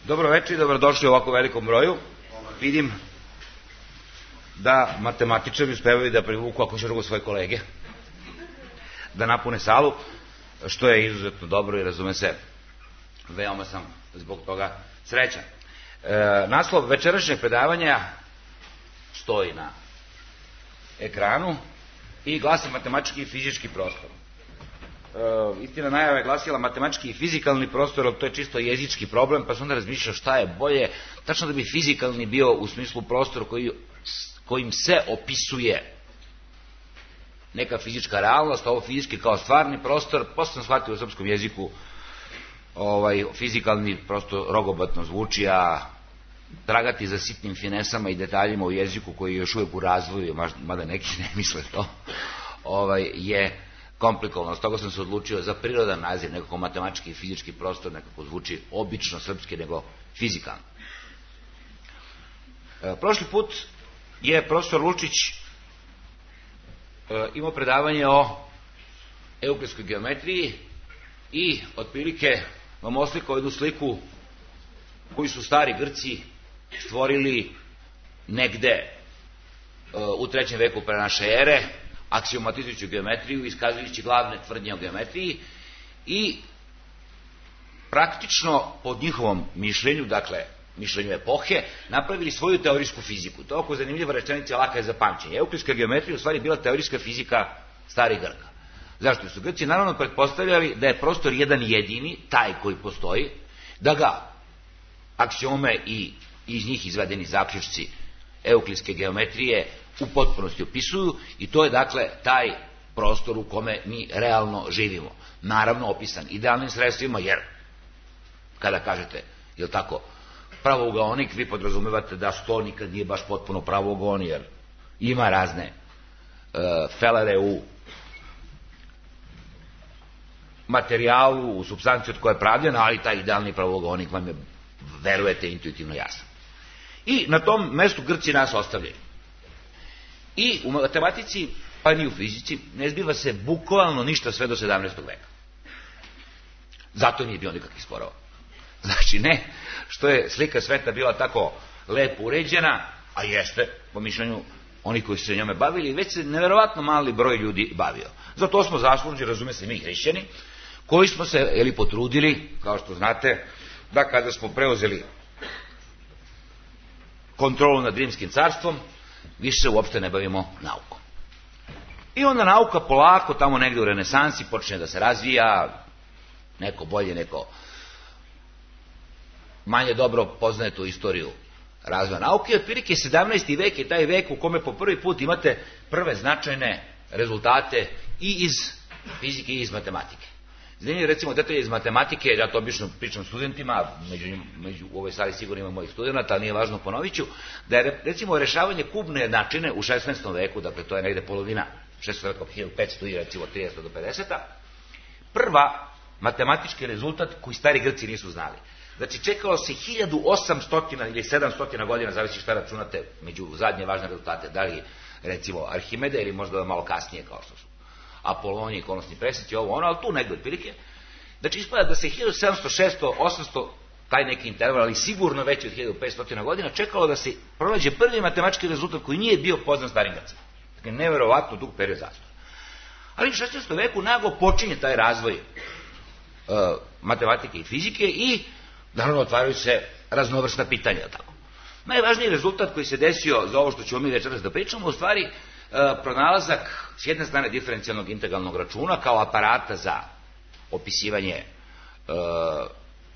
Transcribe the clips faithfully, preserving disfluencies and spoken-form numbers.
Dobro večer i dobrodošli u ovako velikom broju. Vidim da matematičari uspevaju da privuku ako će drugo svoje kolege, da napune salu, što je izuzetno dobro i razume se, veoma sam zbog toga srećan. E, naslov večerašnjeg predavanja stoji na ekranu i glasi matematički i fizički prostor. E, istina, najava je glasila matematički i fizikalni prostor, ali to je čisto jezički problem, pa sam onda razmišljao šta je bolje, tačno da bi fizikalni bio u smislu prostor koji, kojim se opisuje neka fizička realnost, ovo fizički kao stvarni prostor. Posle sam shvatio u srpskom jeziku ovaj, fizikalni prosto rogobatno zvuči, a tragati za sitnim finesama i detaljima u jeziku koji je još uvijek u razvoju, mada neki ne misle to, ovaj, je komplikovano. S toga sam se odlučio za prirodan naziv, nekako matematički i fizički prostor, nekako zvuči obično srpski nego fizikalno. E, prošli put je profesor Lučić e, imao predavanje o euklidskoj geometriji i otprilike vam oslikao jednu sliku koju su stari Grci stvorili negde e, u trećem veku pre naše ere, aksiomatizujući geometriju, iskazujući glavne tvrdnje o geometriji i praktično pod njihovom mišljenju, dakle mišljenju epohe, napravili svoju teorijsku fiziku. To je oko zanimljiva rečenica, laka je za pamćenje. Euklidska geometrija u stvari bila teorijska fizika starih Grka. Zašto su Grci naravno pretpostavljali da je prostor jedan jedini, taj koji postoji, da ga aksiome i iz njih izvedeni zaključci euklidske geometrije u potpunosti opisuju, i to je dakle taj prostor u kome mi realno živimo. Naravno opisan idealnim sredstvima, jer kada kažete, je li tako, pravougaonik, vi podrazumevate da sto nikad nije baš potpuno pravougaon, jer ima razne e, felere u materijalu, u supstanciji od koje je pravljena, ali taj idealni pravougaonik vam je, verujete, intuitivno jasan. I na tom mestu Grci nas ostavljaju. I u matematici, pa ni u fizici, ne zbiva se bukvalno ništa sve do sedamnaestog veka. Zato nije bio nikakvih sporova. Znači ne što je slika sveta bila tako lepo uređena, a jeste, po mišljenju onih koji su se njome bavili, već se neverovatno mali broj ljudi bavio. Zato smo zaslužni, razume se, mi hrišćani, koji smo se ili potrudili, kao što znate, da kada smo preuzeli kontrolu nad Rimskim carstvom, više se uopšte ne bavimo naukom. I onda nauka polako, tamo negde u renesansi, počne da se razvija, neko bolje, neko manje dobro poznaje tu istoriju razvoja nauke. Otprilike sedamnaesti vek je taj vek u kome po prvi put imate prve značajne rezultate i iz fizike i iz matematike. Zanimljivo, recimo, detalje iz matematike, ja to obično pričam studentima, među, među, u ovoj sali sigurno ima mojih studenta, ali nije važno, ponovit ću, da je, recimo, rešavanje kubne jednačine u šesnaestom veku, dakle, to je negde polovina šesnaestog veka, hiljadu petsto i recimo trideset do pedeset, prva matematički rezultat koji stari Grci nisu znali. Znači, čekalo se hiljadu osamsto ili sedamsto godina, zavisi šta računate, među zadnje važne rezultate, da li, recimo, Arhimede ili možda malo kasnije, kao što su Apolonije, konosni preseci, ovo ono, ali tu negde otprilike. Znači, ispada da se hiljadu sedamsto, šesto, osamsto, taj neki interval, ali sigurno veći od hiljadu petsto godina, čekalo da se pronađe prvi matematički rezultat koji nije bio poznan starim Grcima. Dakle, neverovatno dug period zastoja. Ali u šesnaestom veku naglo počinje taj razvoj uh, matematike i fizike i naravno otvaraju se raznovrsna pitanja. Tako. Najvažniji rezultat koji se desio za ovo što ćemo mi večeras da pričamo, u stvari uh, pronalazak s jedne strane diferencijalnog integralnog računa kao aparata za opisivanje uh,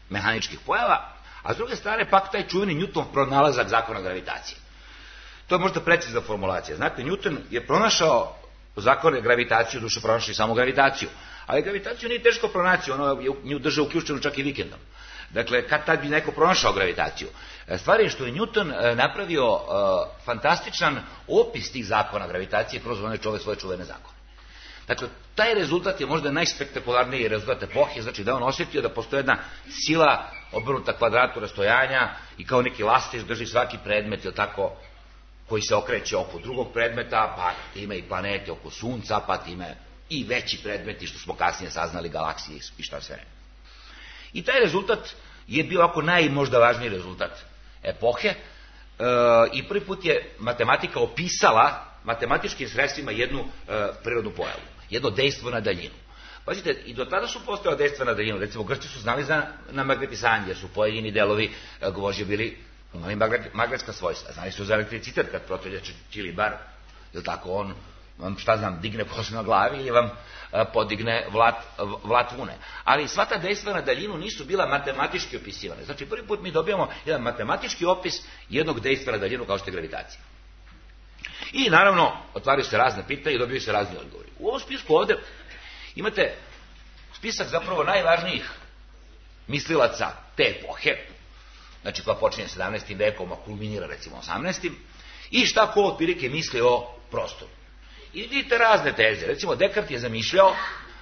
mehaničkih pojava, a s druge strane pak taj čuveni Newton pronalazak zakona gravitacije. To je možda precizna formulacija. Znate, Newton je pronašao zakone gravitacije, duše pronašao i samo gravitaciju, ali gravitaciju nije teško pronaći, ono je nju držao uključenu čak i vikendom. Dakle, kad tad bi neko pronašao gravitaciju? Stvar je što je Newton napravio uh, fantastičan opis tih zakona gravitacije kroz one čove svoje čuvene zakone. Dakle, taj rezultat je možda najspektakularniji rezultat epohe, znači da on osjetio da postoje jedna sila obrnuta kvadratu rastojanja i kao neki lastiš drži svaki predmet, ili tako, koji se okreće oko drugog predmeta, pa time i planete oko Sunca, pa time i veći predmeti, što smo kasnije saznali, galaksije i šta sve ne. I taj rezultat je bio ovako najmožda važniji rezultat epohe e, i prvi put je matematika opisala matematičkim sredstvima jednu e, prirodnu pojavu, jedno dejstvo na daljinu. Pazite, i do tada su postojala dejstva na daljinu, recimo Grci su znali za, na magnetisanje, jer su pojedini delovi e, gvožđa bili imali magnetska svojstva, znali su za elektricitet kad protelja čilibar, ili tako on šta znam, digne kosu na glavi ili vam a, podigne vlat, vlat vune. Ali sva ta dejstva na daljinu nisu bila matematički opisivane. Znači, prvi put mi dobijamo jedan matematički opis jednog dejstva na daljinu kao što je gravitacija. I naravno, otvaraju se razne pitanja i dobiju se razni odgovori. U ovom spisku ovde imate spisak zapravo najvažnijih mislilaca te epohe, znači koja počinje sedamnaestim vekom, a kulminira recimo osamnaestim i šta ko otprilike misli o prostoru. I vidite razne teze. Recimo, Dekart je zamišljao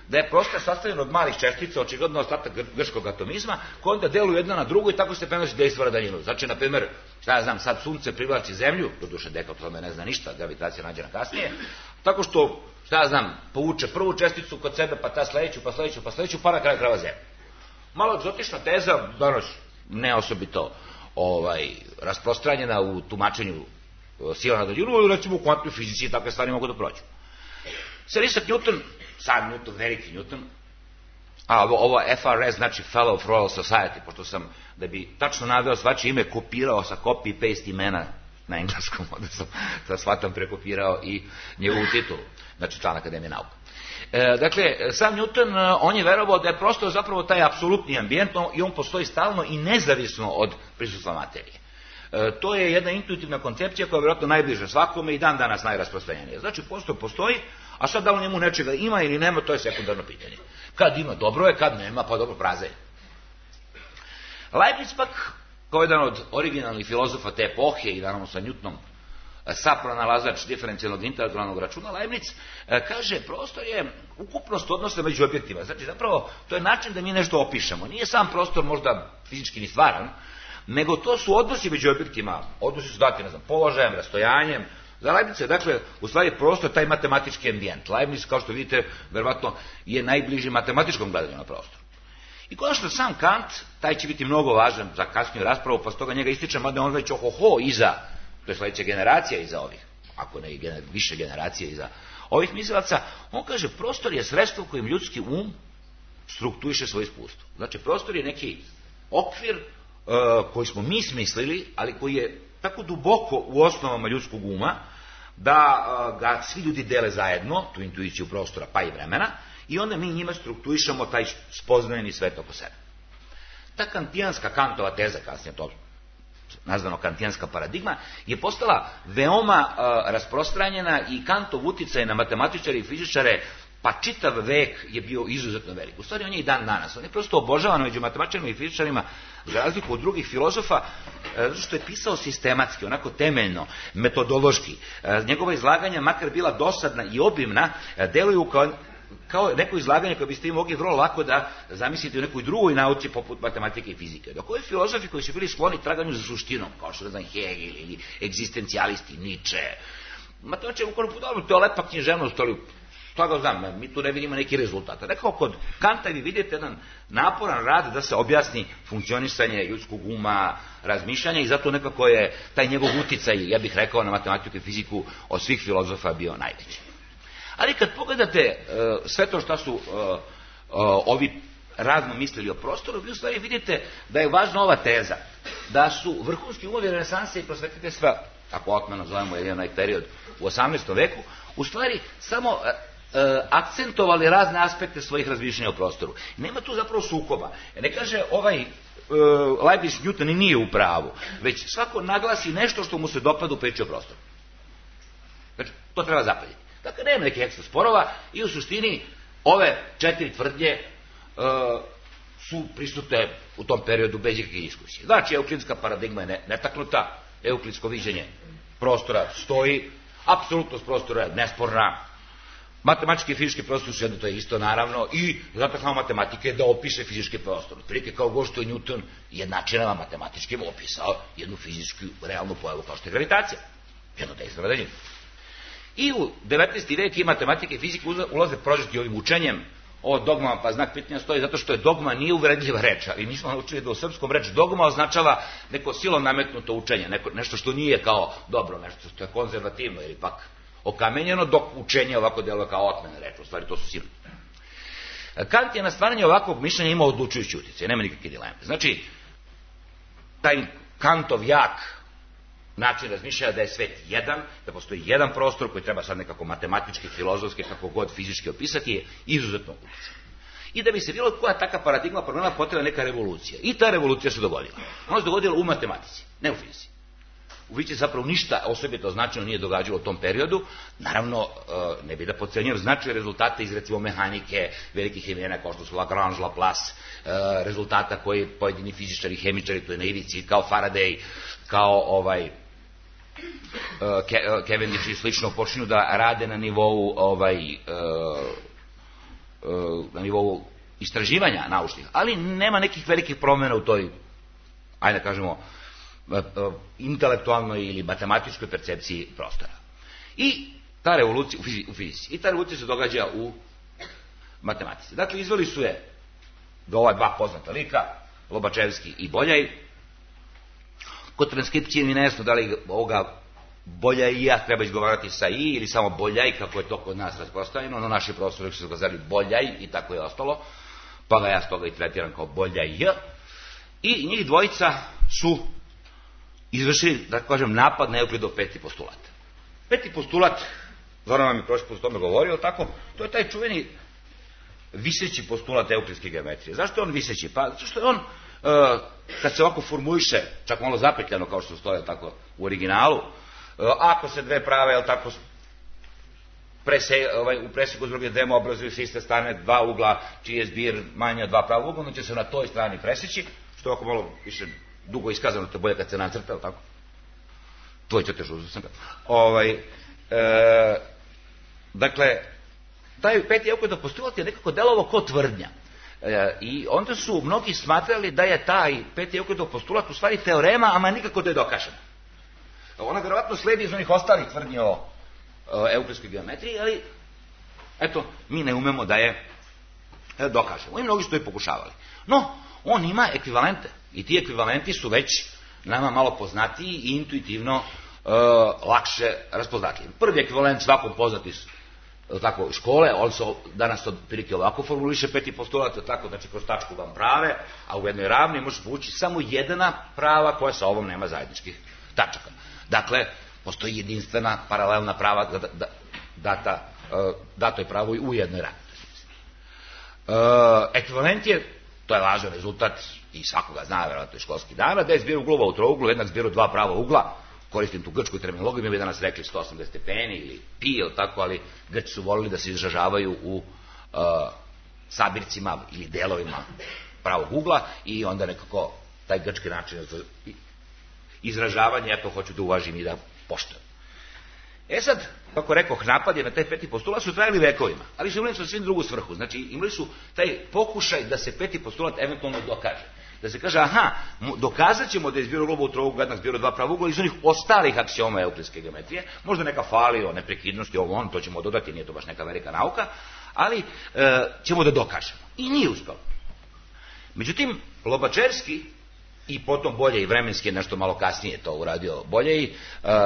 da je prostor sastavljen od malih čestica, očigledno ostatak grčkog atomizma, koji onda deluju jedna na drugu i tako se prenosi dejstvo na daljinu. Znači, na primer, šta ja znam, sad sunce privlači zemlju, doduše Dekart o tome ne zna ništa, gravitacija nađena kasnije, tako što, šta ja znam, povuče prvu česticu kod sebe, pa ta sledeću, pa sledeću, pa sledeću, pa na kraju krava zemlju. Malo egzotična teza, danas ne osobito ovaj, rasprostranjena u tumačenju sila na daljinu, recimo u kvantnoj fizici takve stvari mogu da prođu. Sir Isaac Newton, sam Newton, veliki Newton, a ovo F R S znači Fellow of Royal Society, pošto sam, da bi tačno naveo svačije ime, kopirao sa copy-paste imena na engleskom, onda sam sa shvatom prekopirao i njegovu titulu, znači član Akademije nauka. E, dakle, sam Newton, on je verovao da je prosto zapravo taj apsolutni ambijent i on postoji stalno i nezavisno od prisustva materije. E, to je jedna intuitivna koncepcija koja je vjerojatno najbliža svakome i dan danas najrasprostranjenija. Znači, postoji, postoji, a sad da li njemu nečega ima ili nema, to je sekundarno pitanje. Kad ima, dobro je, kad nema, pa dobro, praze je. Leibniz pak, kao jedan od originalnih filozofa te epohe i naravno sa Newtonom, sapronalazač diferencijalnog integralnog računa, Leibniz kaže, prostor je ukupnost odnosa među objektima. Znači, zapravo, to je način da mi nešto opišemo. Nije sam prostor možda fizički ni stvaran, nego to su odnosi među objektima. Odnosi su dati, ne znam, položajem, rastojanjem. Za Leibniza je, dakle, u stvari prostor taj matematički ambijent. Leibniz, kao što vidite, verovatno je najbliži matematičkom gledanju na prostor. I konačno sam Kant, taj će biti mnogo važan za kasniju raspravu, pa stoga njega ističem, mada on već ohoho iza, to je sledeća generacija iza ovih, ako ne gener, više generacije iza ovih mislilaca, on kaže, prostor je sredstvo kojim ljudski um strukturiše svoje iskustvo. Znači, prostor je neki okvir uh, koji smo mi smislili, ali koji je tako duboko u osnovama ljudskog uma, da uh, ga svi ljudi dele zajedno, tu intuiciju prostora pa i vremena, i onda mi njima strukturišemo taj spoznajeni svet oko sebe. Ta kantijanska Kantova teza, kasnije to nazvano kantijanska paradigma, je postala veoma uh, rasprostranjena i Kantov uticaj na matematičare i fizičare, pa čitav vek je bio izuzetno velik. U stvari on je i dan danas. On je prosto obožavan među matematičarima i fizičarima, za razliku od drugih filozofa, zato što je pisao sistematski, onako temeljno, metodološki. Njegova izlaganja, makar bila dosadna i obimna, deluju kao kao neko izlaganje koje biste vi mogli vrlo lako da zamislite u nekoj drugoj nauci poput matematike i fizike. Dok ovi filozofi koji su bili skloni traganju za suštinom, kao što ne znam Hegel ili egzistencijalisti, Nietzsche, ma to će ukoro podobno, to je lepa književnost, ali to ga znam, mi tu ne vidimo neki rezultat. Rekao, kod Kanta vi vidite jedan naporan rad da se objasni funkcionisanje ljudskog uma, razmišljanja i zato nekako je taj njegov uticaj, ja bih rekao, na matematiku i fiziku od svih filozofa bio najveći. Ali kad pogledate uh, sve to što su uh, uh, ovi razno mislili o prostoru, vi u stvari vidite da je važna ova teza, da su vrhunski umovi renesanse i prosvetiteljstva, ako otmeno zovemo jedan onaj period u osamnaestom veku, u stvari samo uh, uh, akcentovali razne aspekte svojih razmišljanja o prostoru. Nema tu zapravo sukoba. Ne kaže ovaj uh, Leibniz Newton i nije u pravu, već svako naglasi nešto što mu se dopada u priči o prostoru. Znači, to treba zapaljiti. Dakle, nema nekih ekstra sporova i u suštini ove četiri tvrdnje uh, su prisutne u tom periodu bez ikakve diskusije. Znači, euklidska paradigma je netaknuta, euklidsko viđenje prostora stoji, apsolutnost prostora je nesporna, matematički i fizički prostor su jedno, to je isto naravno, i zataknao matematike je da opiše fizički prostor. Prilike kao go što je Newton jednačinama matematičkim opisao jednu fizičku realnu pojavu kao što je gravitacija. Jedno dejstvo na daljinu. I u devetnaesti vek i matematika i fizika ulaze prožeti ovim učenjem o dogmama pa znak pitanja stoji zato što je dogma nije uvredljiva reč, ali mi smo naučili da u srpskom reč dogma označava neko silom nametnuto učenje, neko, nešto što nije kao dobro, nešto što je konzervativno ili pak okamenjeno, dok učenje ovako deluje kao otmena reč, u stvari to su silom. Kant je na stvaranje ovakvog mišljenja imao odlučujući utjecaj, nema nikakve dileme. Znači, taj Kantov jak način razmišljanja da je svet jedan, da postoji jedan prostor koji treba sad nekako matematički, filozofski, kako god fizički opisati, je izuzetno utjecaj. I da bi se bilo koja taka paradigma promenila, potrebna neka revolucija. I ta revolucija se dogodila. Ona se dogodila u matematici, ne u fizici. U fizici zapravo ništa osobito značajno nije događalo u tom periodu. Naravno, ne bi da podcenjujem značaj rezultate iz recimo mehanike, velikih imena kao što su Lagrange, Laplace, rezultata koji pojedini fizičari, hemičari, to je na ivici, kao Faraday, kao ovaj Cavendish i slično počinju da rade na nivou ovaj na nivou istraživanja naučnih, ali nema nekih velikih promjena u toj, ajde da kažemo, intelektualnoj ili matematičkoj percepciji prostora. I ta revolucija u fizici, i ta revolucija se događa u matematici. Dakle, izveli su je do ova dva poznata lika, Lobačevski i Boljaj. Kod transkripcije mi nejasno da li ovoga Boljajija treba izgovarati sa i ili samo Boljaj, kako je to kod nas raspostavljeno, no naši profesori su ga zvali Boljaj i tako je ostalo, pa ga ja s toga i tretiram kao Boljaj. I njih dvojica su izvršili, da kažem, napad na Euklidov peti postulat. Peti postulat, Zoran vam je prošli put o tome govorio, tako, to je taj čuveni viseći postulat euklidske geometrije. Zašto je on viseći? Pa, zato što je on, uh, kad se ovako formuliše, čak malo zapetljano, kao što stoje tako u originalu, uh, ako se dve prave, jel tako, prese, ovaj, u preseku s druge demo obrazuju se iste strane, dva ugla, čiji je zbir manje od dva prava ugla, onda će se na toj strani preseći, što je ovako malo više dugo iskazano, to je bolje kad se nacrta, tako? Tvoj ćete žuzu sam ga. Ovaj, e, dakle, taj peti Euklidov postulat je nekako delovo ko tvrdnja. E, I onda su mnogi smatrali da je taj peti Euklidov postulat u stvari teorema, ama nikako da je dokažena. Ona vjerovatno sledi iz onih ostalih tvrdnji o, o euklidskoj geometriji, ali eto, mi ne umemo da je e, dokažemo. I mnogi su to i pokušavali. No, on ima ekvivalente. I ti ekvivalenti su već nama malo poznatiji i intuitivno e, lakše raspoznatljivi. Prvi ekvivalent svakom poznati tako, škole, on se danas to prilike ovako formuliše, peti postulat, tako, znači kroz tačku vam prave, a u jednoj ravni može povući samo jedna prava koja sa ovom nema zajedničkih tačaka. Dakle, postoji jedinstvena paralelna prava da, da, data, dato je pravo u jednoj ravni. E, ekvivalent je, to je važan rezultat i svakoga zna, vjerojatno je školski dana, da je zbir uglova u trouglu, jednak zbir u dva prava ugla, koristim tu grčku terminologiju, mi bi danas rekli sto osamdeset stepeni ili pi ili tako, ali Grči su volili da se izražavaju u uh, sabircima ili delovima pravog ugla i onda nekako taj grčki način izražavanja, ja to hoću da uvažim i da poštujem. E sad, kako rekoh, napad je na taj peti postulat su trajali vekovima, ali su imali su svim drugu svrhu, znači imali su taj pokušaj da se peti postulat eventualno dokaže. Da se kaže, aha, dokazat ćemo da je zbir uglova u trouglu jednak zbir u dva prava ugla iz onih ostalih aksioma euklidske geometrije, možda neka fali o neprekidnosti, ovo on, to ćemo dodati, nije to baš neka velika nauka, ali e, ćemo da dokažemo. I nije uspelo. Međutim, Lobačevski i potom Boljaj vremenski je nešto malo kasnije to uradio Boljaj, e,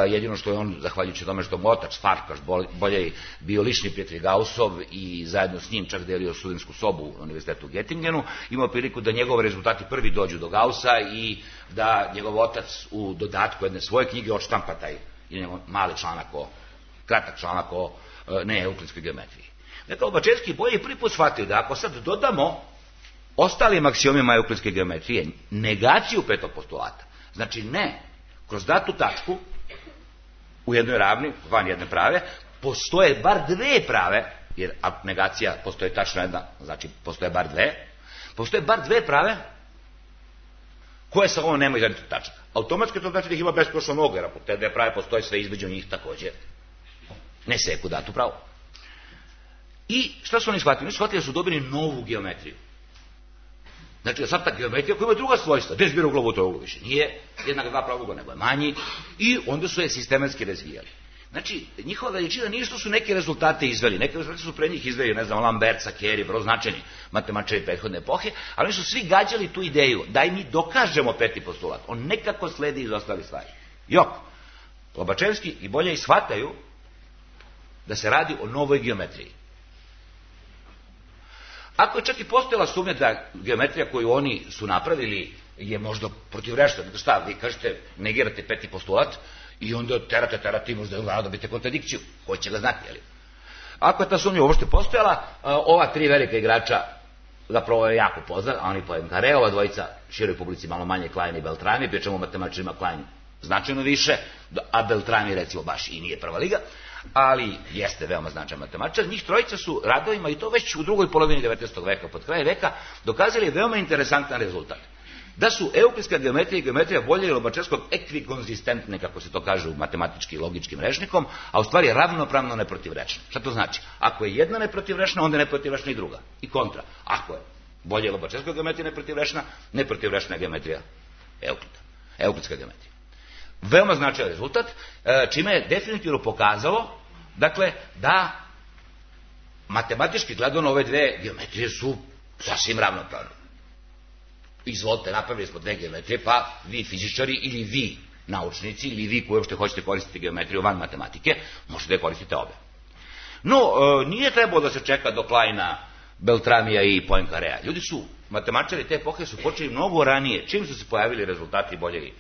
jedino što je on, zahvaljujući tome što mu otac Farkaš Boljaj bio lični prijatelj Gaussov i zajedno s njim čak delio studentsku sobu na univerzitetu u Göttingenu, imao priliku da njegovi rezultati prvi dođu do Gaussa i da njegov otac u dodatku jedne svoje knjige odštampa taj mali članak o, kratak članak o ne euklidskoj geometriji. Dakle, Lobačevski i Boljaj prvi put shvatio da ako sad dodamo ostalim aksiomima euklidske geometrije negaciju petog postulata, znači ne kroz datu tačku u jednoj ravni, van jedne prave, postoje bar dve prave, jer negacija postoje tačno jedna, znači postoje bar dve, postoje bar dve prave koje sa ovom nemaju zajedničkih tačaka. Automatski to znači da ih ima beskonačno mnogo, jer ako te dve prave postoje sve između njih također ne seku datu pravu. I šta su oni shvatili? Oni shvatili da su dobili novu geometriju. Znači da sad ta geometrija koja ima druga svojstva, gdje zbir uglova u trouglu više nije jednak dva prava ugla, nego je manji, i onda su je sistematski razvijali. Znači, njihova veličina nije što su neke rezultate izveli, neke rezultate su pre njih izveli, ne znam, Lambert, Sakeri, vrlo značajni matematičari prethodne epohe, ali oni su svi gađali tu ideju, daj mi dokažemo peti postulat, on nekako sledi iz ostali stvari. Jok, Lobačevski i Boljaj shvataju da se radi o novoj geometriji. Ako je čak i postojala sumnja da geometrija koju oni su napravili je možda protivrečna, šta, vi kažete, negirate peti postulat i onda terate, terate, možda dobite kontradikciju, ko će ga znati, jel? Ako je ta sumnja uopšte postojala, ova tri velika igrača, zapravo je jako poznat, a oni Poincaré, ova dvojica široj publici malo manje, Klein i Beltrami, pri čemu matematičarima Klein značajno više, a Beltrami recimo baš i nije prva liga, ali jeste veoma značajan matematičar. Njih trojica su radovima, i to već u drugoj polovini devetnaestog veka, pod kraj veka, dokazali veoma interesantan rezultat. Da su euklidska geometrija i geometrija Boljaj i Lobačevskog ekvikonzistentne, kako se to kaže u matematički i logičkim rečnikom, a u stvari ravnopravno neprotivrečne. Šta to znači? Ako je jedna neprotivrečna, onda je neprotivrečna i druga. I kontra. Ako je Boljaj i Lobačevska geometrija neprotivrečna, neprotivrečna je geometrija Euklida. Euklidska geometrija. Veoma značajan rezultat, čime je definitivno pokazalo, dakle, da matematički gledano ove dve geometrije su sasvim ravnopravne. Izvolite, napravili smo dve geometrije, pa vi fizičari ili vi naučnici ili vi koji uopšte hoćete koristiti geometriju van matematike, možete da koristite obe. No, nije trebalo da se čeka do Kleina, Beltramija i Poincaréa. Ljudi su, matematičari te epohe su počeli mnogo ranije, čim su se pojavili rezultati Boljaj i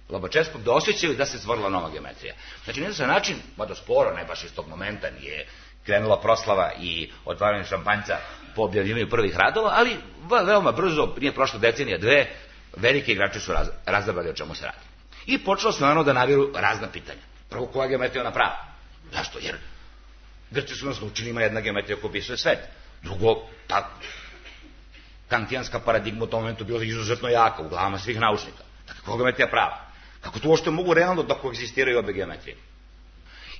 Lobačevskog, da osjećaju da se stvorila nova geometrija. Znači, nije da se način, mada sporo, ne baš iz tog momenta, nije krenula proslava i otvaranje šampanjca po objavljivanju prvih radova, ali veoma brzo, nije prošla decenija, dve, velike igrači su raz, razabrali o čemu se radi. I počelo se naravno da naviru razna pitanja. Prvo, koja geometrija ona prava? Zašto? Jer Grci su nas naučili, ima jedna geometrija koja opisuje svet. Drugo, ta kantijanska paradigma u tom momentu bila izuzetno jaka u glavama svih naučnika. Dakle, koja geometrija prava? Kako to uopšte mogu realno da koegzistiraju obe geometrije?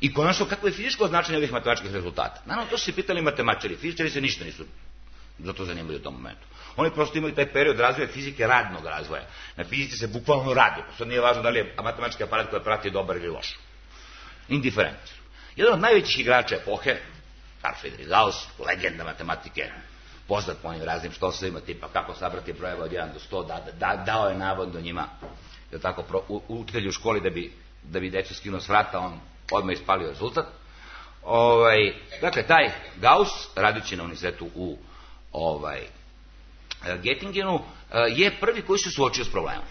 I konačno, kako je fizičko značenje ovih matematičkih rezultata? Naravno, to su se pitali matematičari. Fizičari se ništa nisu za to zanimali u tom momentu. Oni prosto imaju taj period razvoja fizike, radnog razvoja. Na fizici se bukvalno radi. Sad nije važno da li je matematički aparat koji prati dobar ili loš. Indiferentni su. Jedan od najvećih igrača epohe, Carl Friedrich Gauss, legenda matematike, poznat po onim raznim štosovima, tipa kako sabrati brojeva od jedan do sto, da, da, dao je navodno njima, da tako, pro, u, učitelju u školi da bi, da bi decu skinuo s vrata, on odmah ispalio rezultat. Ovaj, dakle, taj Gauss, radeći na univerzitetu u ovaj, Göttingenu, je prvi koji se suočio s problemom.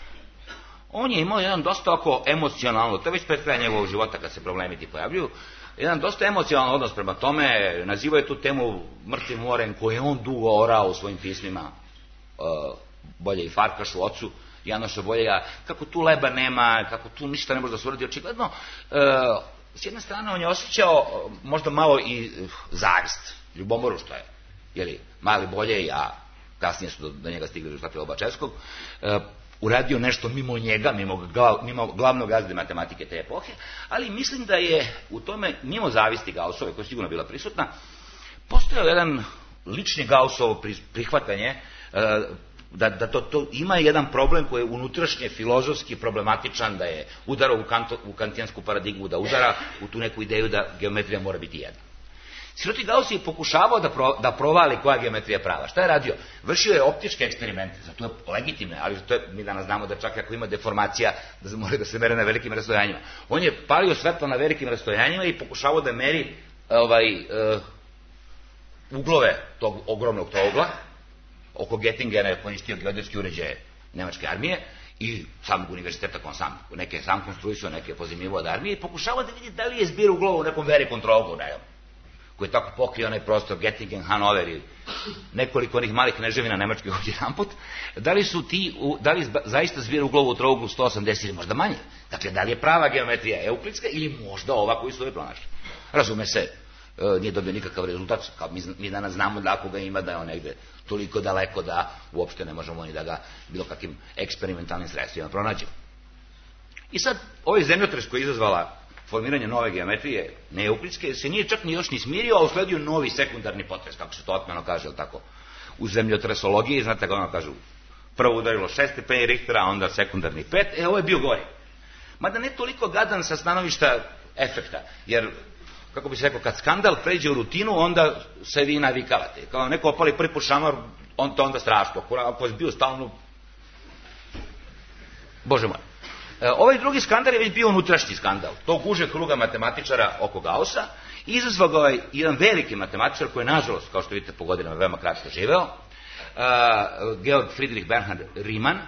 On je imao jedan dosta oko emocionalno, to je već pred kraja njegovog života kad se problemi ti pojavljuju, jedan dosta emocionalan odnos prema tome, nazivao je tu temu mrtvim morem koje je on dugo orao u svojim pismima uh, Boljaj i Farkašu, ocu Janoša Boljaja, kako tu leba nema, kako tu ništa ne može da se uradi očigledno. Uh, s jedne strane on je osjećao uh, možda malo i uh, zavist, ljubomoru što je, jeli, mali Boljaj, a kasnije su do, do njega stigli rezultati Lobačevskog, uh, uradio nešto mimo njega, mimo, mimo glavnog gazde matematike te epohe, ali mislim da je u tome, mimo zavisti Gaussove, koja je sigurno bila prisutna, postojao jedan lični Gaussovo prihvatanje, da, da to, to ima jedan problem koji je unutrašnje filozofski problematičan, da je udarao u, kanto, u kantijansku paradigmu, da udara u tu neku ideju da geometrija mora biti jedna. Siroti Gauss je pokušavao da, pro, da provali koja geometrija prava. Šta je radio? Vršio je optičke eksperimente, zato je legitimne, ali to je, mi danas znamo da čak ako ima deformacija, da mora da se mere na velikim rastojanjima. On je palio svetlo na velikim rastojanjima i pokušavao da meri ovaj, uh, uglove tog ogromnog trougla. Oko Göttingena je koristio geodetski uređaje nemačke armije i samog univerziteta, on sam, neke sam konstruisao, neke pozimljivo od armije i pokušavao da vidi da li je zbir uglova u nekom velikom trouglu, ne koji je tako pokrio onaj prostor, Göttingen, Hanover i nekoliko onih malih kneževina nemačkih ovdje jedanput, da li su ti, da li zaista zbir uglova u trouglu sto osamdeset ili možda manje? Dakle, da li je prava geometrija euklidska ili možda ova koju su ove pronašli? Razume se, nije dobio nikakav rezultat, kao mi, mi danas znamo da ako ga ima da je on negde toliko daleko da uopšte ne možemo ni da ga bilo kakvim eksperimentalnim sredstvima pronađemo. I sad, ovaj zemljotres koji je izazvala formiranje nove geometrije, neeuklidske, se nije čak ni još ni smirio, a usledio novi sekundarni potres, kako se to otmeno kaže, tako, u zemljotresologiji, znate kako ono kažu, prvo udarilo šest stepeni Richtera, a onda sekundarni pet, e, ovo je bio gori. Mada ne toliko gadan sa stanovišta efekta. Jer, kako bi se rekao, kad skandal pređe u rutinu, onda se vi navikavate. Kao neko opali prvi put šamar, on to onda strašno. Ako je bio stalno... Bože moj. Ovaj drugi skandal je već bio unutrašnji skandal. Tog užeg kruga matematičara oko Gaussa. Izazvao ga je jedan veliki matematičar koji je, nažalost, kao što vidite, po godinama veoma kratko živeo, Georg Friedrich Bernhard Riemann.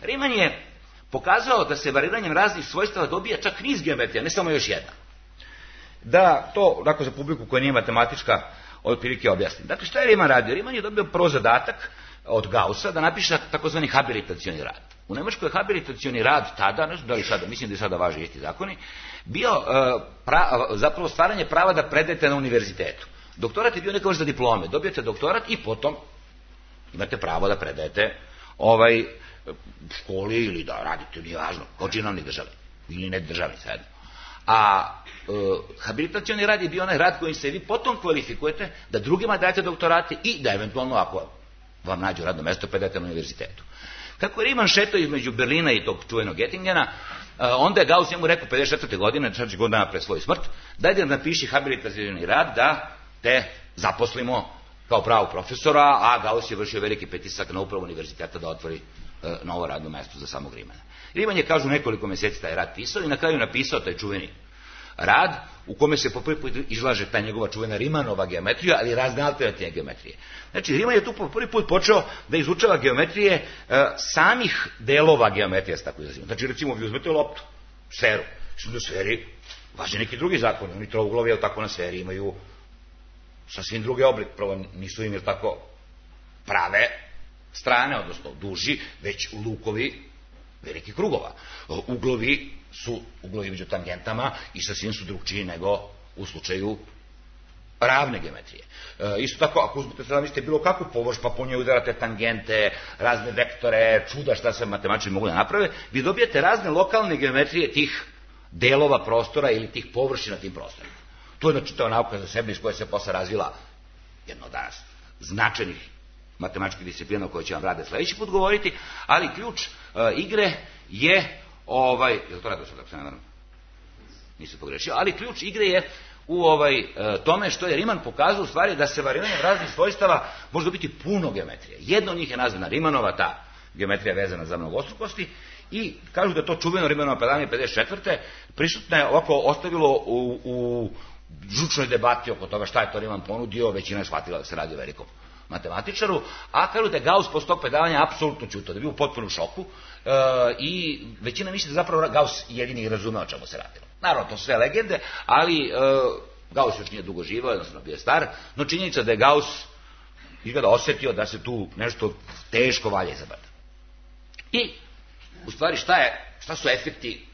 Riemann je pokazao da se variranjem raznih svojstava dobija čak niz geometrija, ne samo još jedna. Da to, dakle, za publiku koja nije matematička, otprilike objasnim. Dakle, šta je Riemann radio? Riemann je dobio prvo zadatak od Gaussa da napiše takozvani habilitacioni rad. U Nemačkoj je habilitacioni rad tada, ne znam da li sada, mislim da i sada važe isti zakoni, bio pra, zapravo stvaranje prava da predajete na univerzitetu. Doktorat je bio neka vrsta diplome. Dobijete doktorat i potom imate pravo da predajete ovaj školi ili da radite, nije važno, kao činovni državi ili ne državni, sad. A e, habilitacioni rad je bio onaj rad kojim se vi potom kvalifikujete da drugima dajete doktorate i da eventualno, ako vam nađu radno mesto, predajete na univerzitetu. Kako je Riemann šetao između Berlina i tog čuvenog Göttingena, onda je Gauss njemu rekao pedeset četvrte godine, četiri godina pre svoju smrt, daj da napiši habilitacioni rad da te zaposlimo kao pravog profesora, a Gauss je vršio veliki pritisak na upravu univerziteta da otvori e, novo radno mesto za samog Riemanna. Riemann je, kažu, nekoliko meseci taj rad pisao i na kraju napisao taj čuveni rad u kome se po prvi put izlaže ta njegova čuvena Riemannova geometrija, ali razne alternativne geometrije. Znači, Riemann je tu po prvi put počeo da izučava geometrije e, samih delova geometrije, tako izrazimo. Znači, recimo, vi uzmete loptu, sferu. Što na sferi važe neki drugi zakon. Oni trouglovi, jel tako, na sferi imaju sasvim drugi oblik. Prvo, nisu im, jel tako, prave strane, odnosno duži, već lukovi velikih krugova. Uglovi su uglovi među tangentama i sasvim su drugčiji nego u slučaju ravne geometrije. E, isto tako, ako uzmete sada mislite bilo kakvu površ, pa po njoj udarate tangente, razne vektore, čuda šta se matematičari mogu da naprave, vi dobijete razne lokalne geometrije tih delova prostora ili tih površina tim prostorima. To je, znači, to je nauka za sebe iz koje se posle razvila jedno danas značajnih matematičkih disciplina o kojoj će vam Rade sledeći put govoriti, ali ključ e, igre je ovaj, je li to radio sad, ako se ne naravno? Nisam pogrešio, ali ključ igre je u ovaj, e, tome što je Riemann pokazao u stvari da se variranjem raznih svojstava može dobiti puno geometrije. Jedno od njih je nazvana Riemannova, ta geometrija vezana za mnogostrukosti, i kažu da to čuveno Riemannova predavanje pedeset četvrte prisutno je ovako ostavilo u, u žučnoj debati oko toga šta je to Riemann ponudio, većina je shvatila da se radi o velikom matematičaru, a kažu da je Gauss posle tog predavanja apsolutno ćutao, da je bio u potpunom šoku e, i većina misli da zapravo Gauss jedini i razumeo o čemu se radilo. Naravno, to sve legende, ali e, Gauss još nije dugo živao, jednostavno bio star, no činjenica da je Gauss izgleda osetio da se tu nešto teško valja izabrati. I, u stvari, šta, je, šta su efekti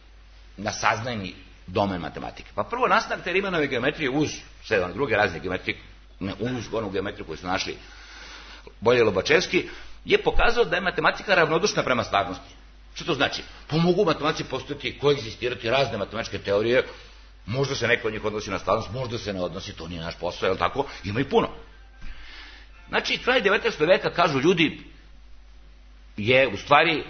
na saznajni domen matematike? Pa prvo, nastanak te Riemannove geometrije uz sedam druge razne geometrije, ne uz onu geometriju koju su našli Bolje i Lobačevski, je pokazao da je matematika ravnodušna prema stvarnosti. Što to znači? Pa mogu matematici postojati, koegzistirati razne matematičke teorije, možda se neko od njih odnosi na stvarnost, možda se ne odnosi, to nije naš posao, je li tako? Ima i puno. Znači, kraj devetnaestog veka, kažu ljudi, je u stvari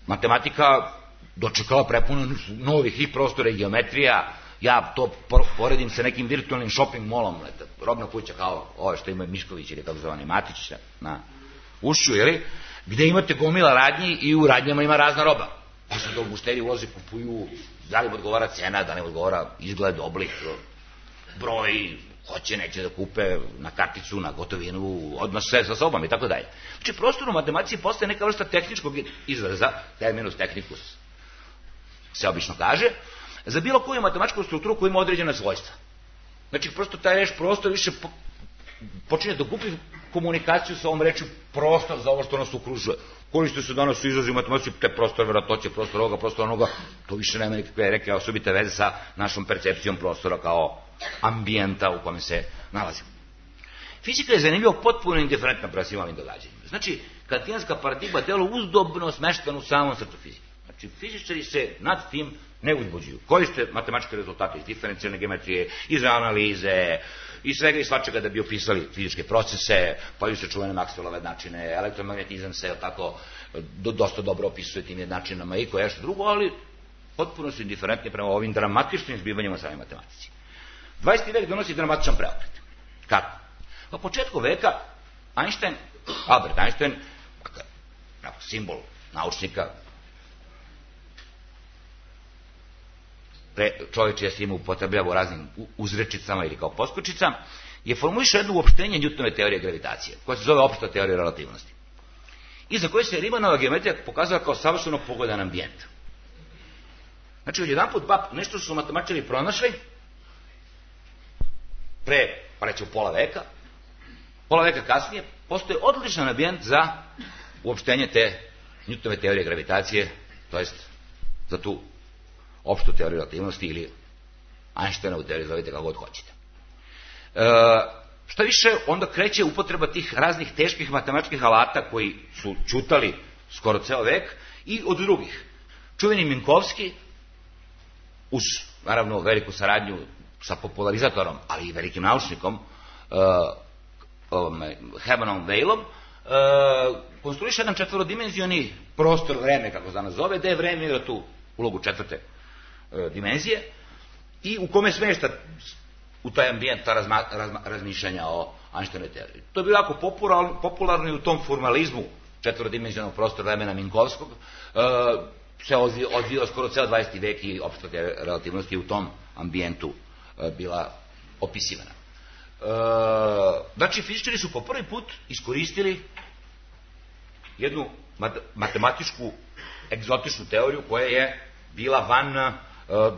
matematika dočekala prepuno novih i prostora i geometrija. Ja to poredim sa nekim virtualnim shopping molom, robna kuća kao ove što imaju Mišković ili kako zvani Matić na Ušću, jeli, gde imate gomila radnji i u radnjama ima razna roba. Pa se do mušteri ulaze, kupuju, da li im odgovara cena, da li im odgovara izgled, oblik, broj, hoće, neće da kupe na karticu, na gotovinu, odmah sve sa sobom i tako dalje. Znači, prostor u matematici postaje neka vrsta tehničkog izraza, terminus technicus se obično kaže, za bilo koju matematičku strukturu koja ima određena svojstva. Znači, prosto taj reč prostor više po, počinje da gubi komunikaciju sa ovom rečju prostor za ovo što nas okružuje. Koriste se danas u izrazu matematici, te prostor verovatnoće, prostor ovoga, prostor onoga, to više nema nikakve reke osobite veze sa našom percepcijom prostora kao ambijenta u kome se nalazimo. Fizika je zanimljivo potpuno indiferentna prema svim ovim događanjima. Znači, kantijanska paradigma delo uzdobno smeštena u samom srcu fizike. Znači, fizičari se nad tim ne uzbuđuju. Koriste matematičke rezultate iz diferencijalne geometrije, iz analize, iz svega i svačega da bi opisali fizičke procese, pa se čuvene Maxwellove jednačine, elektromagnetizam se tako do, dosta dobro opisuje tim jednačinama i koje što drugo, ali potpuno su indiferentni prema ovim dramatičnim zbivanjima u samoj matematici. dvadeeti vek donosi dramatičan preokret. Kako? Na početku veka Einstein, Albert Einstein, simbol naučnika, čovjek čije se ime upotrebljava u raznim uzrečicama ili kao poskočica, je formulišao jedno uopštenje Newtonove teorije gravitacije, koja se zove opšta teorija relativnosti. I za koje se Riemannova geometrija pokazala kao savršeno pogodan ambijent. Znači, odjedanput nešto su matematičari pronašli pre, pa rećemo, pola veka, pola veka kasnije, postoje odličan ambijent za uopštenje te Newtonove teorije gravitacije, to jest za tu opštu teoriju relativnosti ili Einsteinovu teoriju, zovite kako god hoćete. E, šta više, onda kreće upotreba tih raznih teških matematičkih alata koji su čutali skoro ceo vek i od drugih. Čuveni Minkowski, uz, naravno, veliku saradnju sa popularizatorom, ali i velikim naučnikom, uh, Hermanom Weylom, uh, konstruiše jedan četvrodimenzioni prostor vreme, kako se danas zove, gde je vreme igra tu ulogu četvrte uh, dimenzije i u kome smešta u taj ambijent ta razma, razma, razmišljanja o Einsteinovoj teoriji. To je bilo jako popularno, popularno i u tom formalizmu četvorodimenzionog prostora vremena Minkovskog, uh, se odvijao skoro ceo dvadeeti vek i opšta relativnost je u tom ambijentu uh, bila opisivana. Uh, znači, fizičari su po prvi put iskoristili jednu matematičku, egzotičnu teoriju koja je bila van uh,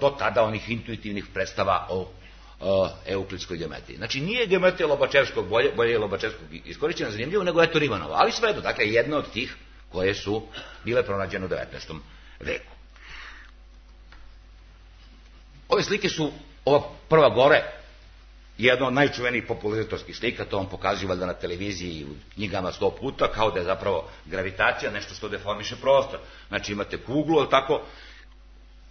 do tada onih intuitivnih predstava o uh, euklidskoj geometriji. Znači, nije geometrija Lobačevskog, bolje, bolje je Lobačevskog iskorišćena zanimljivo, nego je to Riemannova, ali svejedno, dakle, jedna od tih koje su bile pronađene u devetnaestom veku. Ove slike su, ova prva gore, jedna od najčuvenijih popularizatorskih slika, to vam pokazuju valjda na televiziji i u knjigama sto puta, kao da je zapravo gravitacija nešto što deformiše prostor. Znači imate kuglu, ali tako,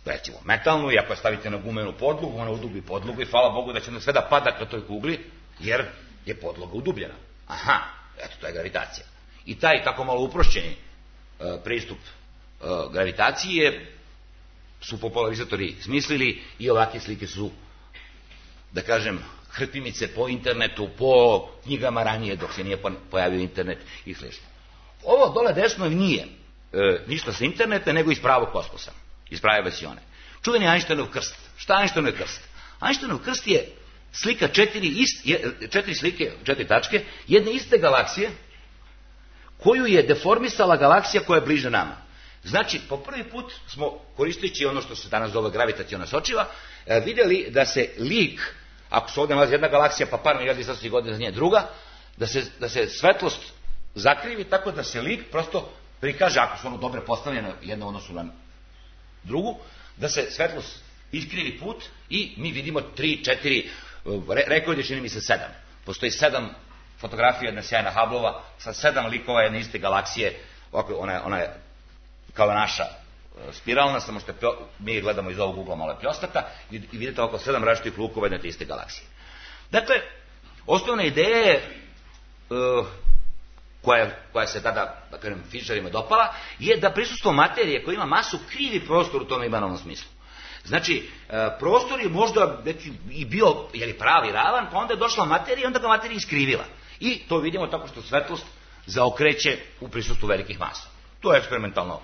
recimo metalnu, i ako je stavite na gumenu podlogu, ona udubi podlogu i hvala Bogu da će sve da pada ka toj kugli, jer je podloga udubljena. Aha, eto, to je gravitacija. I taj tako malo uprošćeni uh, pristup uh, gravitacije su popularizatori smislili i ovakve slike su, da kažem, hrpimice po internetu, po knjigama ranije dok se nije pojavio internet i slično. Ovo dole desno nije e, ništa sa interneta, nego iz pravog kosmosa, iz prave vasione. Čuveni Einsteinov krst. Šta je Einsteinov krst? Einsteinov krst je slika četiri, ist, četiri slike, četiri tačke, jedne iste galaksije, koju je deformisala galaksija koja je bliže nama. Znači, po prvi put smo, koristeći ono što se danas zove gravitaciona sočiva, vidjeli da se lik, ako se ovdje nalazi jedna galaksija, pa par milijardi svetlosti godina za nje druga, da se, da se svetlost zakrivi tako da se lik prosto prikaže, ako su ono dobre postavljene jedno odnosu na drugu, da se svetlost iskrivi put i mi vidimo tri, četiri, rekao je čini mi se sedam. Postoji sedam fotografija jedna sjajna Hubbleova sa sedam likova jedne iste galaksije, ovako, ona, ona je kao naša spiralna, samo što mi gledamo iz ovog ugla malo pljostata i vidite oko sedam različitih lukova jedne te iste galaksije. Dakle, osnovna ideja je uh, koja, koja se tada, da kažem, fizičarima dopala, je da prisustvo materije koja ima masu krivi prostor u tome imanovnom smislu. Znači, uh, prostor je možda neki, i bio je li pravi ravan, pa onda je došla materija i onda ga materija iskrivila. I to vidimo tako što svetlost zaokreće u prisustvu velikih masa. To je eksperimentalno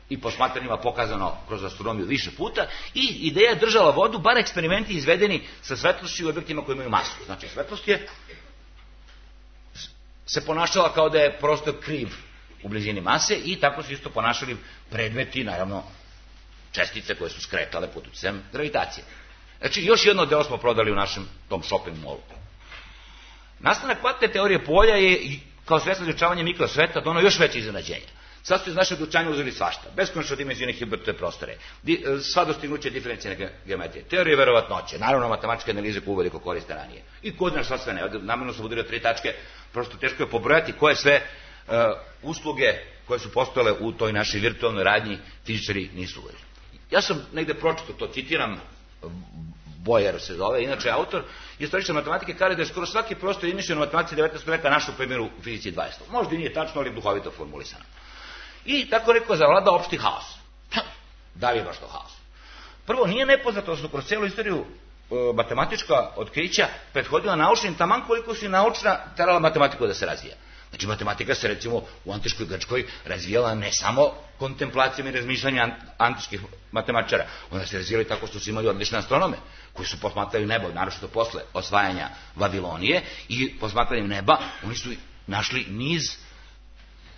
i posmatranjima pokazano kroz astronomiju više puta i ideja je držala vodu, bar eksperimenti izvedeni sa svetlošću u objektima koji imaju masu. Znači, svetlost je se ponašala kao da je prostor kriv u blizini mase i tako su isto ponašali predmeti, naravno, čestice koje su skretale pod uticajem gravitacije. Znači, još jedno deo smo prodali u našem tom shopping mallu. Nastanak kvantne teorije polja je, kao sredstvo izučavanja mikrosveta, dono još veće iznenađenja. Sad su iz našeg učanja uzeli svašta, beskonačno dimenzijone Hilbertove prostore, di, sva dostignuće diferencijne geometrije, teorije verovatnoće, naravno matematičke analize koje uveliko koriste ranije. I kod nas šta sve ne, namjerno sam udario tri tačke, prosto teško je pobrojati koje sve uh, usluge koje su postojale u toj našoj virtualnoj radnji fizičari nisu uveli. Ja sam negde pročito to, citiram, Boyer se zove, inače autor, istoričar matematike, kaže da je skoro svaki prostor izmišljen u matematici devetnaestog veka našao primjeru u fizici dvadesetog. Možda i nije tačno, ali duhovito formulisano. I tako rekao zavlada opšti haos. Da li je baš to haos? Prvo, nije nepoznato da su kroz cijelu istoriju e, matematička otkrića prethodila naučnim, taman koliko su i naučna terala matematiku da se razvija. Znači, matematika se, recimo, u antičkoj Grčkoj razvijala ne samo kontemplacijom i razmišljanjem antičkih matematičara, onda se razvijali tako što su imali odlične astronome, koji su posmatrali nebo, naročito posle osvajanja Vavilonije, i posmatranjem neba oni su našli niz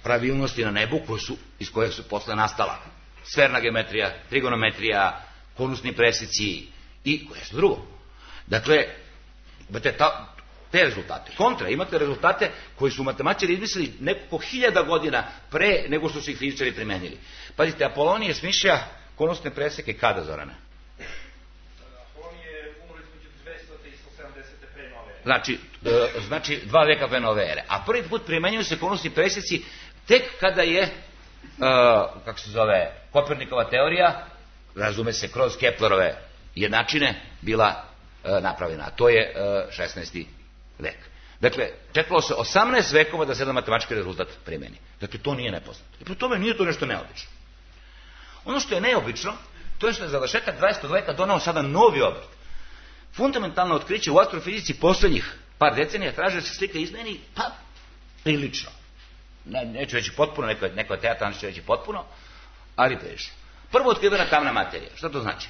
pravilnosti na nebu koje su, iz koje su posle nastala sferna geometrija, trigonometrija, konusni preseci i koje su drugo. Dakle, imate ta, te rezultate. Kontra, imate rezultate koji su matematičari izmislili nekoliko hiljada godina pre nego što su ih fizičari primenili. Pazite, Apolonije smišlja konusne preseke kada, Zorane? Apolonije umro između dvesta i sto sedamdeset pre nove ere. Znači, e, znači dva veka pre nove ere. A prvi put primenjuju se konusni preseci tek kada je, e, kako se zove, Kopernikova teorija, razume se kroz Keplerove jednačine, bila e, napravljena. A to je e, šesnaesti vek. Dakle, čekalo se osamnaest vekova da se jedan matematički rezultat primeni. Dakle, to nije nepoznato. I pri tome nije to nešto neobično. Ono što je neobično, to je što je završetak dvadesetog veka donao sada novi obrt. Fundamentalno otkriće u astrofizici poslednjih par decenija traže da se slika izmeni, pa prilično. Ne, neću reći potpuno, neko, neko teatran će reći potpuno, ali prilično. Prvo otkrivena tamna materija. Šta to znači?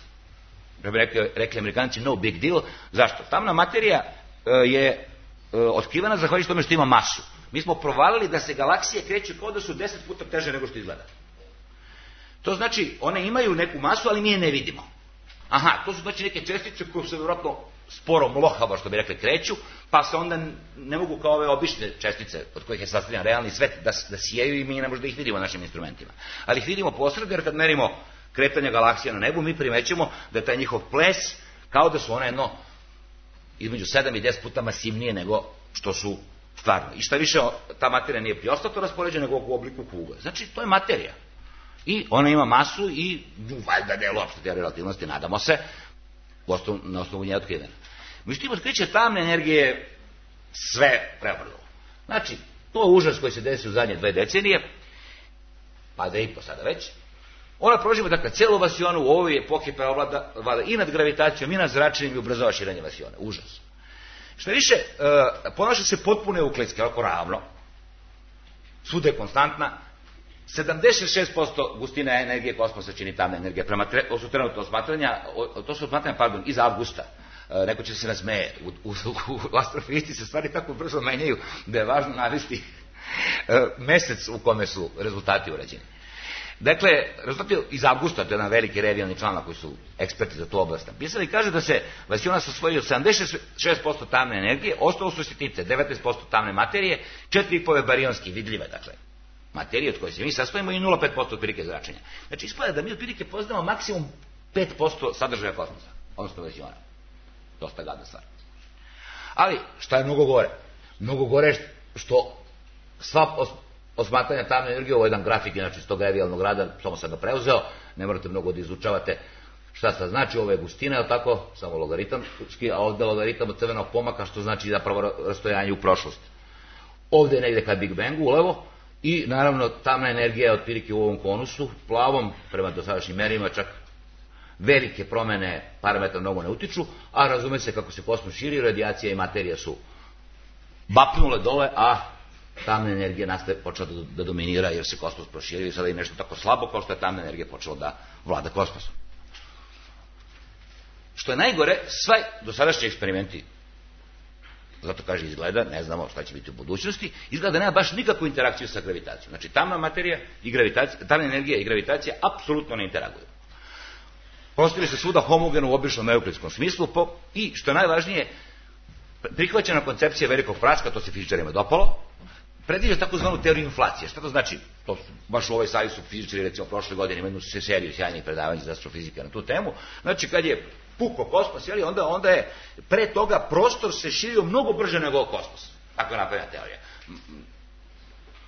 Da bi rekli, rekli Amerikanci, no big deal. Zašto? Tamna materija e, je e, otkrivena zahvaljujući tome što ima masu. Mi smo provalili da se galaksije kreću kao da su deset puta teže nego što izgleda. To znači, one imaju neku masu, ali mi je ne vidimo. Aha, to su znači neke čestice koje se vjerojatno sporo mlohavo, što bi rekli, kreću, pa se onda ne mogu kao ove obične čestice od kojih je sastavljen realni svet da, da sijaju i mi ne možemo da ih vidimo našim instrumentima. Ali ih vidimo posredno, jer kad merimo kretanje galaksija na nebu, mi primećemo da je taj njihov ples kao da su one jedno između sedam i deset puta masivnije nego što su stvarno. I šta više, ta materija nije priostato raspoređena nego u obliku kugle. Znači, to je materija. I ona ima masu i valjda delu opšte teorije relativnosti, nadamo se, na osnovu nje otkrivena. Međutim, otkriće tamne energije sve prevrlo. Znači, to je užas koji se desi u zadnje dve decenije, pa da i po sada već. Ona proživa, dakle, celu vasionu u ovoj epohi preovlada i nad gravitacijom, i nad zračenjem i ubrzava širenje vasione. Užas. Što više, e, ponaša se potpuno euklidski, ovako ravno. Svuda je konstantna. sedamdeset šest posto gustina energije kosmosa čini tamna energija. Prema tre, to su trenutno osmatranja, to su osmatranja, pardon, iz avgusta. E, neko će se nasmeje. U, u, u astrofizici se stvari tako brzo menjaju da je važno navesti e, mesec u kome su rezultati urađeni. Dakle, rezultati iz avgusta, to je jedan veliki revijalni članak koji su eksperti za tu oblast napisali, kaže da se vasiona sastoji od sedamdeset šest posto tamne energije, ostalo su sitnice, devetnaest posto tamne materije, četiri i po barionski, vidljive, dakle, materije od koje se mi sastojimo i nula zarez pet posto otprilike zračenja. Znači, ispada da mi otprilike poznamo maksimum pet posto sadržaja kosmosa, odnosno vasiona. Dosta gadna stvar. Ali, šta je mnogo gore? Mnogo gore što sva osmatranja tamne energije, ovo je jedan grafik, inače iz tog revijalnog rada, samo sam ga preuzeo, ne morate mnogo da izučavate šta sad znači, ovo je gustina, je li tako, samo logaritamski, a ovde logaritam od crvenog pomaka, što znači zapravo rastojanje u prošlost. Ovde je negde ka Big Bangu, ulevo, i naravno tamna energija je otprilike u ovom konusu, plavom, prema dosadašnjim merima, čak velike promene parametra mnogo ne utiču, a razume se kako se kosmos širi, radijacija i materija su bapnule dole, a tamna energija nastaje počela da, da dominira jer se kosmos proširio i sada je nešto tako slabo kao što je tamna energija počela da vlada kosmosom. Što je najgore, sva dosadašnji eksperimenti, zato kaže izgleda, ne znamo šta će biti u budućnosti, izgleda da nema baš nikakvu interakciju sa gravitacijom. Znači tamna materija i gravitacija, tamna energija i gravitacija apsolutno ne interaguju. Postavili se svuda homogeno u običnom euklidskom smislu po, i što je najvažnije, prihvaćena koncepcija velikog praska, to se fizičarima dopalo, predviđa takozvanu teoriju inflacije. Šta to znači? To su, baš u ovoj sali su fizičari, recimo prošle godine imaju se seriju sjajnih predavanja za astrofizike na tu temu. Znači kad je puko kosmos, jeli, onda, onda je pre toga prostor se širio mnogo brže nego kosmos. Tako je napravljena teorija.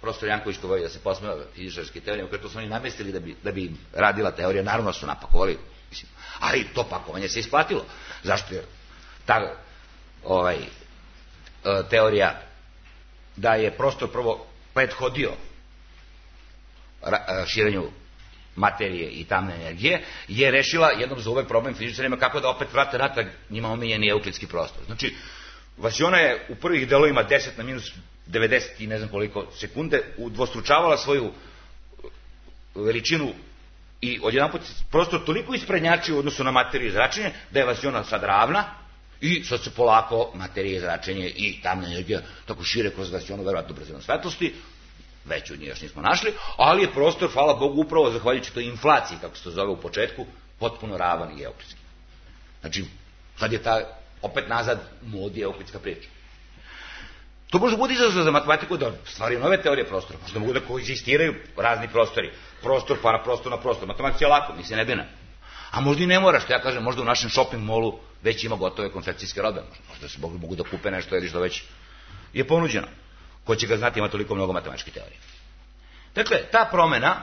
Profesor Janković to voli da se posmeva fizičarske teorije, koje to su oni namestili da bi, da bi radila teorija, naravno su napakovali, mislim, ali to pakovanje se isplatilo. Zašto je ta ovaj, teorija da je prostor prvo prethodio širenju materije i tamne energije, je rešila jednom za uvek problem fizičarima kako da opet vrate natrag njima omiljeni euklidski prostor. Znači, vasiona je u prvih delovima deset na minus devedeset i ne znam koliko sekunde udvostručavala svoju veličinu i odjedanput prostor toliko isprednjačio u odnosu na materiju i zračenje da je vasiona sad ravna i sad se polako materije i zračenje i tamna energija tako šire kroz vasionu, verovatno brzinom svetlosti, već od nje još nismo našli, ali je prostor, hvala Bogu, upravo zahvaljujući toj inflaciji, kako se to zove u početku, potpuno ravan i euklidski. Znači, sad je ta opet nazad u modi euklidska priča. To može biti izazov za matematiku da stvari nove teorije prostora, možda mogu da koegzistiraju razni prostori, prostor, paraprostor na prostor, matematika je lako, mi se ne bina. A možda i ne mora, što ja kažem, možda u našem shopping molu već ima gotove konfekcijske robe, možda se mogu da kupe nešto ili što već je ponuđeno. Ko će ga znati, ima toliko mnogo matematičkih teorija. Dakle, ta promena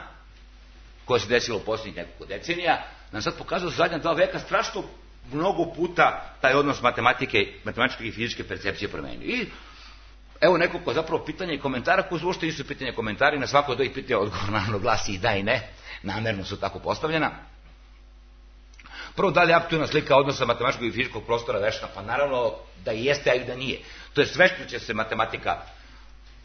koja se desila u posljednjih nekoliko decenija nam sad pokazuje zadnja dva veka strašno mnogo puta taj odnos matematike, matematičke i fizičke percepcije promenio. I evo nekoliko zapravo pitanja i komentara koji uopšte nisu pitanja i komentari, na svako od ovih pitanja odgovor naravno glasi i da i ne, namerno su tako postavljena. Prvo, da li je aktualna slika odnosa matematičkog i fizičkog prostora vešna? Pa naravno da i jeste, a i da nije. To je sve što će se matematika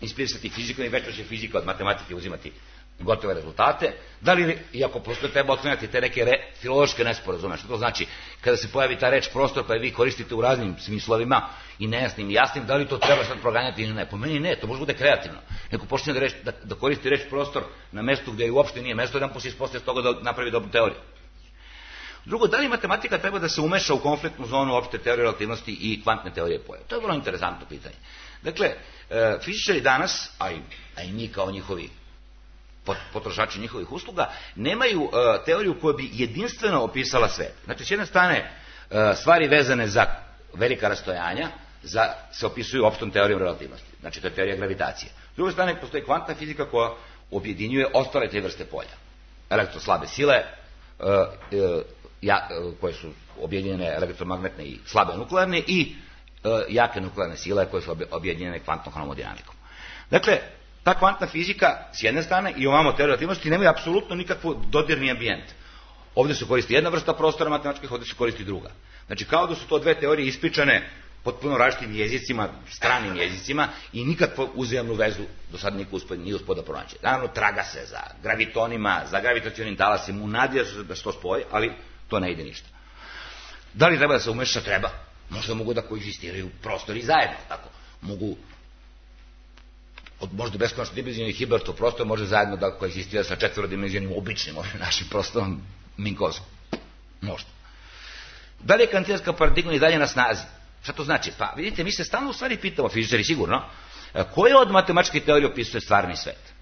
inspirisati fizikom i već će fizika od matematike uzimati gotove rezultate. Da li, iako prosto treba otklanjati te neke re, filološke nesporazume, što to znači kada se pojavi ta reč prostor pa je vi koristite u raznim smislovima i nejasnim i jasnim, da li to treba sad proganjati ili ne? Po meni ne, to može bude kreativno. Neko počne da, reč, da, da koristi reč prostor na mestu gdje uopšte nije mesto, jedan poslije ispostaje toga da napravi dobru teoriju. Drugo, da li matematika treba da se umeša u konfliktnu zonu opšte teorije relativnosti i kvantne teorije pojava? To je vrlo interesantno pitanje. Dakle, e, fizičari danas, a i, a i mi kao njihovi potrošači njihovih usluga, nemaju e, teoriju koja bi jedinstveno opisala svet. Znači, s jedne strane, e, stvari vezane za velika rastojanja za, se opisuju opštom teorijom relativnosti. Znači, to je teorija gravitacije. S druge strane, postoji kvantna fizika koja objedinjuje ostale te vrste polja. Elektroslabe sile, e, e, ja, koje su objedinjene elektromagnetne i slabe nuklearne i e, jake nuklearne sile koje su objedinjene kvantnom hромodinamikom. Dakle, ta kvantna fizika s jedne strane i ovamo teorija relativnosti nemaju apsolutno nikakvu dodirni ambijent. Ovdje se koristi jedna vrsta prostora matematičkih, ovdje se koristi druga. Znači, kao da su to dve teorije ispričane potpuno različitim jezicima, stranim jezicima i nikakvu uzajamnu vezu do sada niko uspod, nije uspod da pronaći. Naravno, traga se za gravitonima, za gravitacionim talasima, unadija se da se to spoji, ali to ne ide ništa. Da li treba da se umeša? Treba. Možda mogu da koegzistiraju prostori zajedno, tako. Mogu, od možda beskonačno dimenzionalni Hilbertov prostor može zajedno da koegzistira sa četvorodimenzionalnim običnim, našim prostorom Minkovskom. Možda. Da li je kantijanska paradigma i dalje na snazi? Šta to znači? Pa vidite, mi se stalno u stvari pitamo, fizičari sigurno, koje od matematičke teorije opisuje stvarni svet?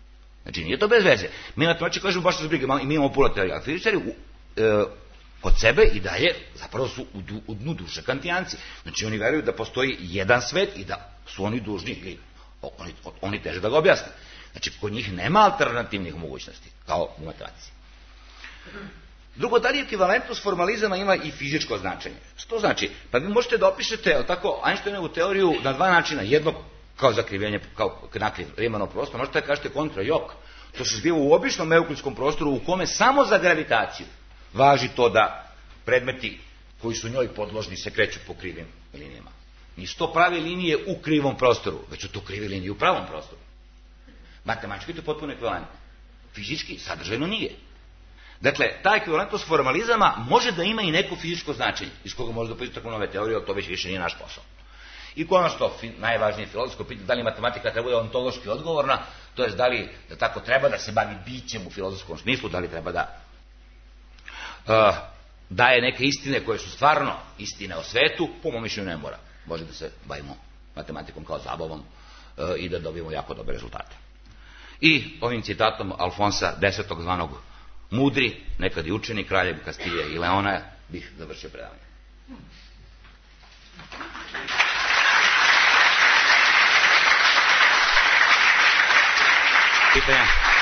Znači, nije to bez veze. Mi matematički kažemo baš se zbrige, mi imamo puno teorija, a fizičari e, kod sebe i dalje zapravo su u, du, u dnu duše kantijanci. Znači, oni veruju da postoji jedan svet i da su oni dužni, ili oni, oni teže da ga objasne. Znači, kod njih nema alternativnih mogućnosti, kao u matematici. Drugo, da li ekvivalentnost formalizama ima i fizičko značenje? Što znači? Pa vi možete da opišete tako Einsteinovu teoriju na dva načina. Jedno kao zakrivljenje, kao nakriv Riemanovog prostora, možete da kažete kontra jok. To se zbiva u običnom euklidskom prostoru u kome samo za gravitaciju važi to da predmeti koji su njoj podložni se kreću po krivim linijama. Nisu to prave linije u krivom prostoru, već su to krive linije u pravom prostoru. Matematički je to potpuno ekvivalentno. Fizički, sadržajno nije. Dakle, ta ekvivalentnost formalizama može da ima i neko fizičko značenje, iz koga može da pođe tako nove teorije, ali to već više nije naš posao. I konačno, najvažnije filozofsko pitanje, da li matematika treba da ontološki odgovorna, to je da li da tako treba da se bavi bićem u filozofskom smislu, da li treba da uh, daje neke istine koje su stvarno istine o svetu, po mom mišljenju ne mora. Može da se bavimo matematikom kao zabavom uh, i da dobijemo jako dobre rezultate. I ovim citatom Alfonsa desetog zvanog mudri, nekad i učeni, kraljev Kastilje i Leona, bih završio predavanje. Pitanja?